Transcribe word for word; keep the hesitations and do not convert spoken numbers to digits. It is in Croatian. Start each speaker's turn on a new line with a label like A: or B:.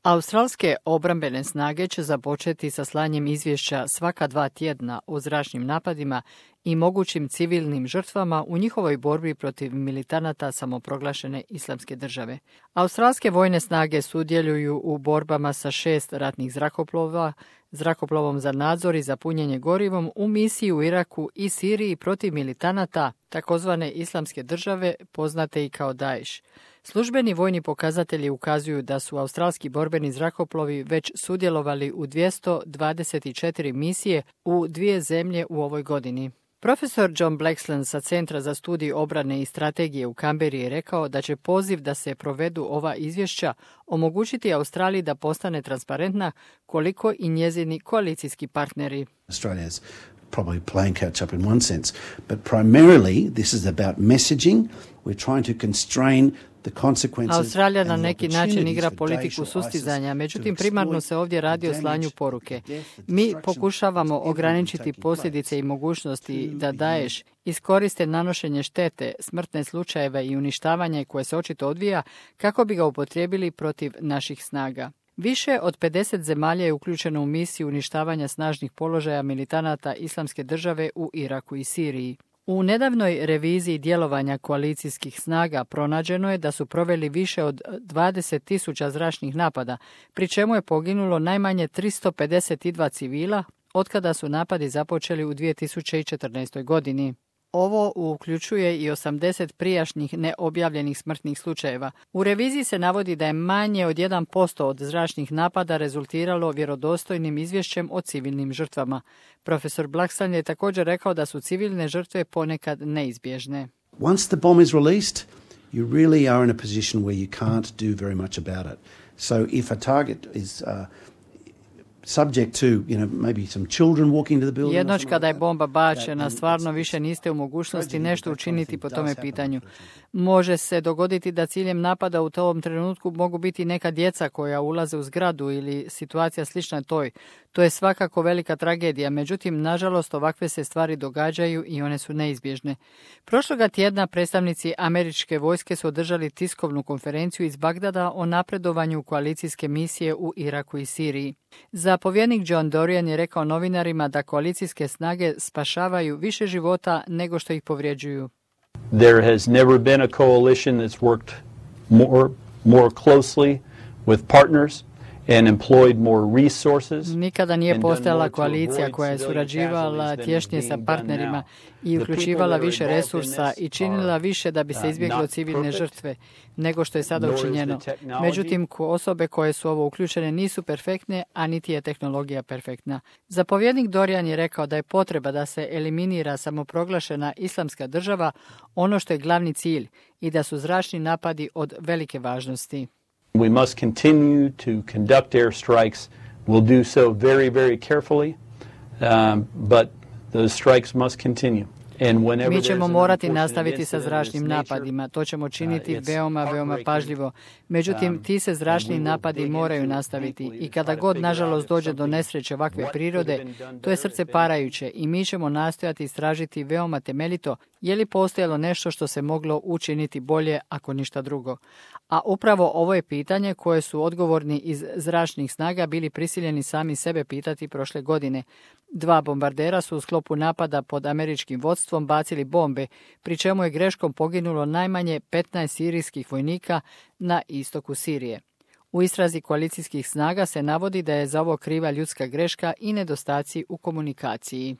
A: Australske obrambene snage će započeti sa slanjem izvješća svaka dva tjedna o zračnim napadima i mogućim civilnim žrtvama u njihovoj borbi protiv militanata samoproglašene Islamske države. Australske vojne snage sudjeluju u borbama sa šest ratnih zrakoplova, zrakoplovom za nadzor i za punjenje gorivom u misiji u Iraku i Siriji protiv militanata takozvane Islamske države, poznate i kao Daesh. Službeni vojni pokazatelji ukazuju da su australski borbeni zrakoplovi već sudjelovali u dvjesto dvadeset četiri misije u dvije zemlje u ovoj godini. Profesor John Blaxland sa Centra za studij obrane i strategije u Canberri je rekao da će poziv da se provedu ova izvješća omogućiti Australiji da postane transparentna koliko i njezini koalicijski partneri.
B: Australia's probably playing catch up in one sense, but primarily this is about messaging. We're trying to constrain
A: Australija na neki način igra politiku sustizanja, međutim primarno se ovdje radi o slanju poruke. Mi pokušavamo ograničiti posljedice i mogućnosti da Daesh iskoriste nanošenje štete, smrtne slučajeve i uništavanje koje se očito odvija kako bi ga upotrijebili protiv naših snaga. Više od pedeset zemalja je uključeno u misiju uništavanja snažnih položaja militanata Islamske države u Iraku i Siriji. U nedavnoj reviziji djelovanja koalicijskih snaga pronađeno je da su proveli više od dvadeset tisuća zračnih napada, pri čemu je poginulo najmanje tristo pedeset dva civila otkada su napadi započeli u dvije tisuće četrnaestoj. godini. Ovo uključuje i osamdeset prijašnjih neobjavljenih smrtnih slučajeva. U reviziji se navodi da je manje od jedan posto od zračnih napada rezultiralo vjerodostojnim izvješćem o civilnim žrtvama. Profesor Blaxland je također rekao da su civilne žrtve ponekad neizbježne.
B: Once the bomb is released, you really are in a position where you can't do very much about it. So if a target is uh, subject to, you know, maybe some children walking to the building.
A: Jednoć kada je bomba bačena, stvarno više niste u mogućnosti nešto učiniti po tome pitanju. Može se dogoditi da ciljem napada u tom trenutku mogu biti neka djeca koja ulaze u zgradu ili situacija slična toj. To je svakako velika tragedija, međutim, nažalost, ovakve se stvari događaju i one su neizbježne. Prošloga tjedna predstavnici američke vojske su održali tiskovnu konferenciju iz Bagdada o napredovanju koalicijske misije u Iraku i Siriji. Zapovjednik John Dorian je rekao novinarima da koalicijske snage spašavaju više života nego što ih povrijeđuju.
C: There has never been a coalition that's worked more, more closely with partners and employed more resources.
A: Nikada nije postojala koalicija koja je surađivala tješnije sa partnerima i uključivala više resursa i činila više da bi se izbjeglo civilne žrtve nego što je sada učinjeno. Međutim, osobe koje su ovo uključene nisu perfektne, a niti je tehnologija perfektna. Zapovjednik Dorian je rekao da je potreba da se eliminira samoproglašena Islamska država ono što je glavni cilj i da su zračni napadi od velike važnosti.
C: We must continue to conduct airstrikes. We'll do so very, very carefully, um, but the strikes must continue.
A: Mi ćemo morati nastaviti sa zračnim napadima. To ćemo činiti veoma, veoma pažljivo. Međutim, ti se zračni napadi moraju nastaviti. I kada god, nažalost, dođe do nesreće ovakve prirode, to je srce parajuće i mi ćemo nastojati istražiti veoma temeljito je li postojalo nešto što se moglo učiniti bolje ako ništa drugo. A upravo ovo je pitanje koje su odgovorni iz zračnih snaga bili prisiljeni sami sebe pitati prošle godine. Dva bombardera su u sklopu napada pod američkim vodstvom bacili bombe, pri čemu je greškom poginulo najmanje petnaest sirijskih vojnika na istoku Sirije. U istrazi koalicijskih snaga se navodi da je za ovo kriva ljudska greška i nedostaci u komunikaciji.